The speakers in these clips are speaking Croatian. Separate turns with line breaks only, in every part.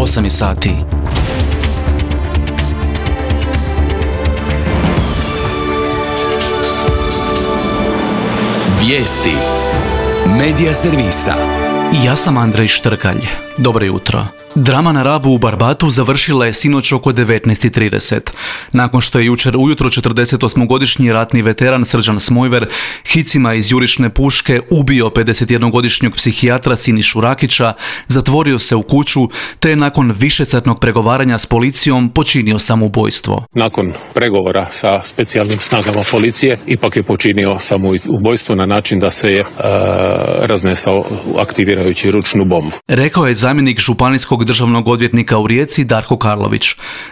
8 sati.
Vijesti Medija servisa.
Ja sam Andrej Štrkalj. Dobro jutro. Drama na Rabu u Barbatu završila je sinoć oko 19:30. Nakon što je jučer ujutro 48-godišnji ratni veteran Srđan Smojver hicima iz jurišne puške ubio 51-godišnjeg psihijatra Sinišu Rakića, zatvorio se u kuću te je nakon višesatnog pregovaranja s policijom počinio samoubojstvo.
Nakon pregovora sa specijalnim snagama policije ipak je počinio samoubojstvo na način da se je raznesao aktivirajući ručnu bombu.
Rekao je zamjenik županijskog državnog odvjetnika u Rijeci Darko Karlović.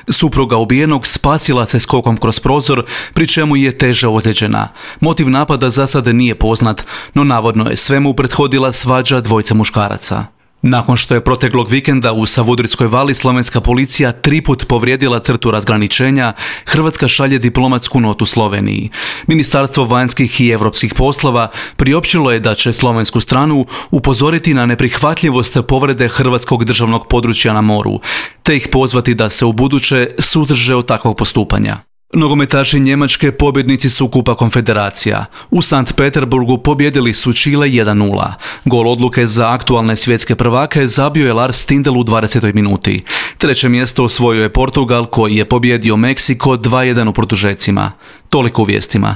Supruga ubijenog spasila se skokom kroz prozor, pri čemu je teže ozlijeđena. Motiv napada za sada nije poznat, no navodno je svemu prethodila svađa dvojice muškaraca. Nakon što je proteklog vikenda u Savudrijskoj vali slovenska policija 3 put povrijedila crtu razgraničenja, Hrvatska šalje diplomatsku notu Sloveniji. Ministarstvo vanjskih i europskih poslova priopćilo je da će slovensku stranu upozoriti na neprihvatljivost povrede hrvatskog državnog područja na moru, te ih pozvati da se ubuduće suzdrže od takvog postupanja. Nogometaši Njemačke pobjednici su Kupa konfederacija. U Sankt Peterburgu pobjedili su Čile 1:0. Gol odluke za aktualne svjetske prvake zabio je Lars Stindl u 20. minuti. Treće mjesto osvojio je Portugal koji je pobjedio Meksiko 2:1 u produžecima. Toliko u vijestima.